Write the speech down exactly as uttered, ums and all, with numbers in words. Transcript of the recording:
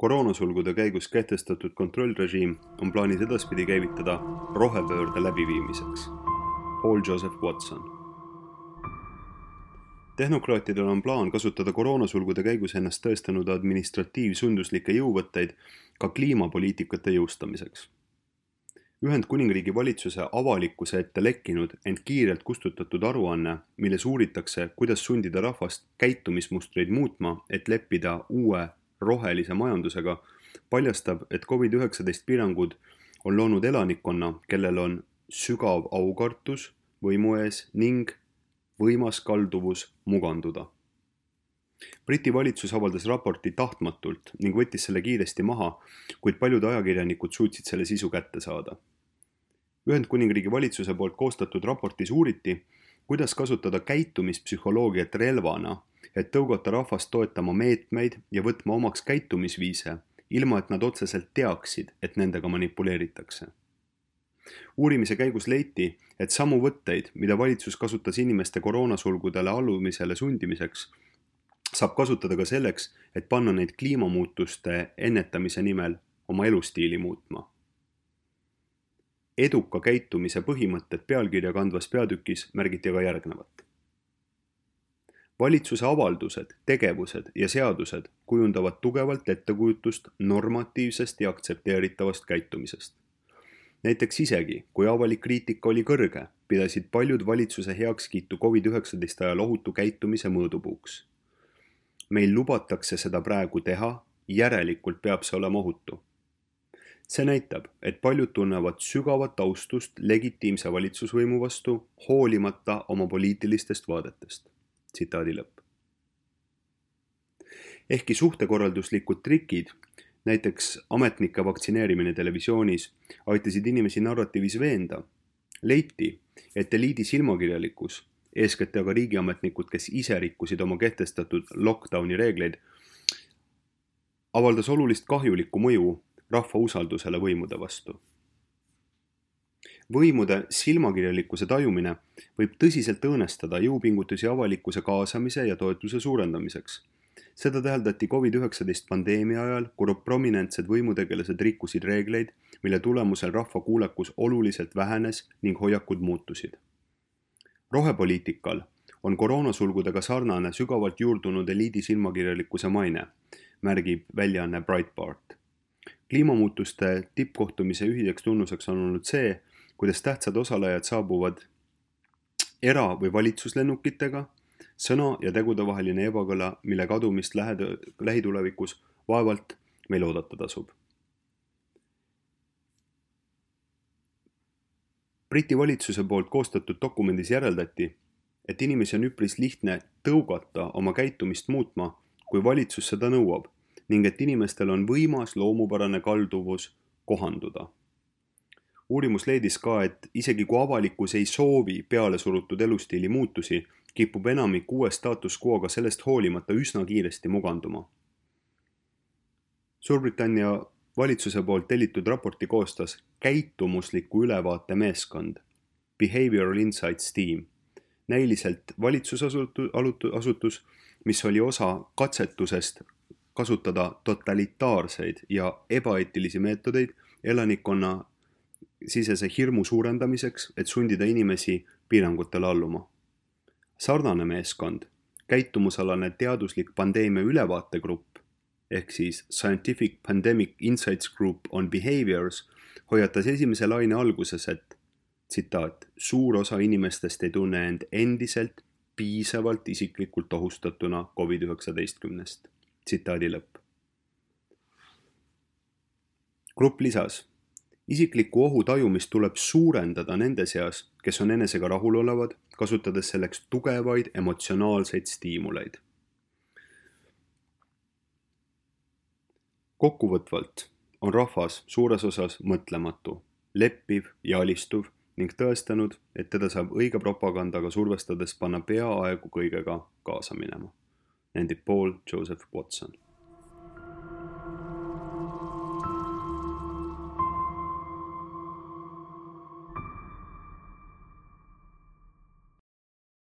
Koroonasulgude käigus kehtestatud kontrollrežiim on plaanis edaspidi käivitada rohepöörde läbiviimiseks. Paul Joseph Watson. Tehnokraatidel on plaan kasutada koroonasulgude käigus ennast tõestanud administratiivsunduslikke jõuvõtteid ka kliimapoliitikate jõustamiseks. Ühendkuningriigi valitsuse avalikkuse ette lekkinud, ent kiirelt kustutatud aruanne, milles uuritakse, kuidas sundida rahvast käitumismustreid muutma, et leppida uue rohelise majandusega, paljastab, et covid üheksateist piirangud on loonud elanikkonna, kellel on sügav aukartus võimu ees ning võimas kalduvus muganduda. Briti valitsus avaldas raporti tahtmatult ning võttis selle kiiresti maha, kuid paljud ajakirjanikud suutsid selle sisu kätte saada. Ühendkuningriigi valitsuse poolt koostatud raportis uuriti, kuidas kasutada käitumispsühholoogiat relvana, et tõugata rahvast toetama meetmeid ja võtma omaks käitumisviise, ilma et nad otseselt teaksid, et nendega manipuleeritakse. Uurimise käigus leiti, et samu võtteid, mida valitsus kasutas inimeste koroonasulgudele allumisele sundimiseks, saab kasutada ka selleks, et panna neid kliimamuutuste ennetamise nimel oma elustiili muutma. Eduka käitumise põhimõtted pealkirja kandvas peatükis märgiti aga järgnevat. Valitsuse avaldused, tegevused ja seadused kujundavad tugevalt ettekujutust normatiivsest ja aktsepteeritavast käitumisest. Näiteks isegi, kui avalik kriitika oli kõrge, pidasid paljud valitsuse heakskiitu covid üheksateist ajal ohutu käitumise mõõdupuuks. Meil lubatakse seda praegu teha, järelikult peab see olema ohutu. See näitab, et paljud tunnevad sügavat austust legitiimse valitsusvõimu vastu, hoolimata oma poliitilistest vaadetest. Tsitaadi lõpp. Ehkki suhtekorralduslikud trikid, näiteks ametnike vaktsineerimine televisioonis, aitasid inimesi narratiivis veenda, leiti, et eliidi silmakirjalikkus, eeskätt aga riigiametnikud, kes ise rikkusid oma kehtestatud lockdowni reegleid, avaldas olulist kahjulikku mõju rahva usaldusele võimude vastu. Võimude silmakirjalikkuse tajumine võib tõsiselt õõnestada jõupingutusi avalikkuse kaasamise ja toetuse suurendamiseks. Seda täheldati covid üheksateist pandeemia ajal, kui prominentsed võimutegelased rikkusid reegleid, mille tulemusel rahva kuulekus oluliselt vähenes ning hoiakud muutusid. Rohepoliitikal on koroonasulgudega sarnane sügavalt juurdunud eliidi silmakirjalikkuse maine, märgib väljaanne Breitbart. Kliimamuutuste tippkohtumise ühiseks tunnuseks on olnud see, kuidas tähtsad osalejad saabuvad era- või valitsuslennukitega, sõna ja tegude vaheline ebakõla, mille kadumist lähitulevikus vaevalt meil oodata tasub. Briti valitsuse poolt koostatud dokumendis järeldati, et inimesi on üpris lihtne tõugata oma käitumist muutma, kui valitsus seda nõuab, ning et inimestel on võimas loomupärane kalduvus kohanduda. Uurimus leidis ka, et isegi kui avalikkus ei soovi peale surutud elustiili muutusi, kipub enamik uue status quo'ga sellest hoolimata üsna kiiresti muganduma. Suurbritannia valitsuse poolt tellitud raporti koostas käitumusliku ülevaate meeskond, Behavioral Insights Team, näiliselt valitsusasutus, mis oli osa katsetusest kasutada totalitaarseid ja ebaeetilisi meetodeid elanikkonna sisese hirmu suurendamiseks, et sundida inimesi piirangutele alluma. Sarnane meeskond, käitumusalane teaduslik pandeemia ülevaategrupp, ehk siis Scientific Pandemic Insights Group on Behaviors, hoiatas esimese laine alguses, et tsitaat, suur osa inimestest ei tunne end endiselt piisavalt isiklikult ohustatuna covid üheksateist. Tsitaadi lõpp. Grupp lisas, isikliku ohu tajumist tuleb suurendada nende seas, kes on enesega rahul olevad, kasutades selleks tugevaid emotsionaalseid stiimuleid. Kokkuvõtvalt on rahvas suures osas mõtlematu, leppiv ja alistuv ning tõestanud, et teda saab õige propagandaga survestades panna peaaegu kõigega kaasa minema, nendib Paul Joseph Watson.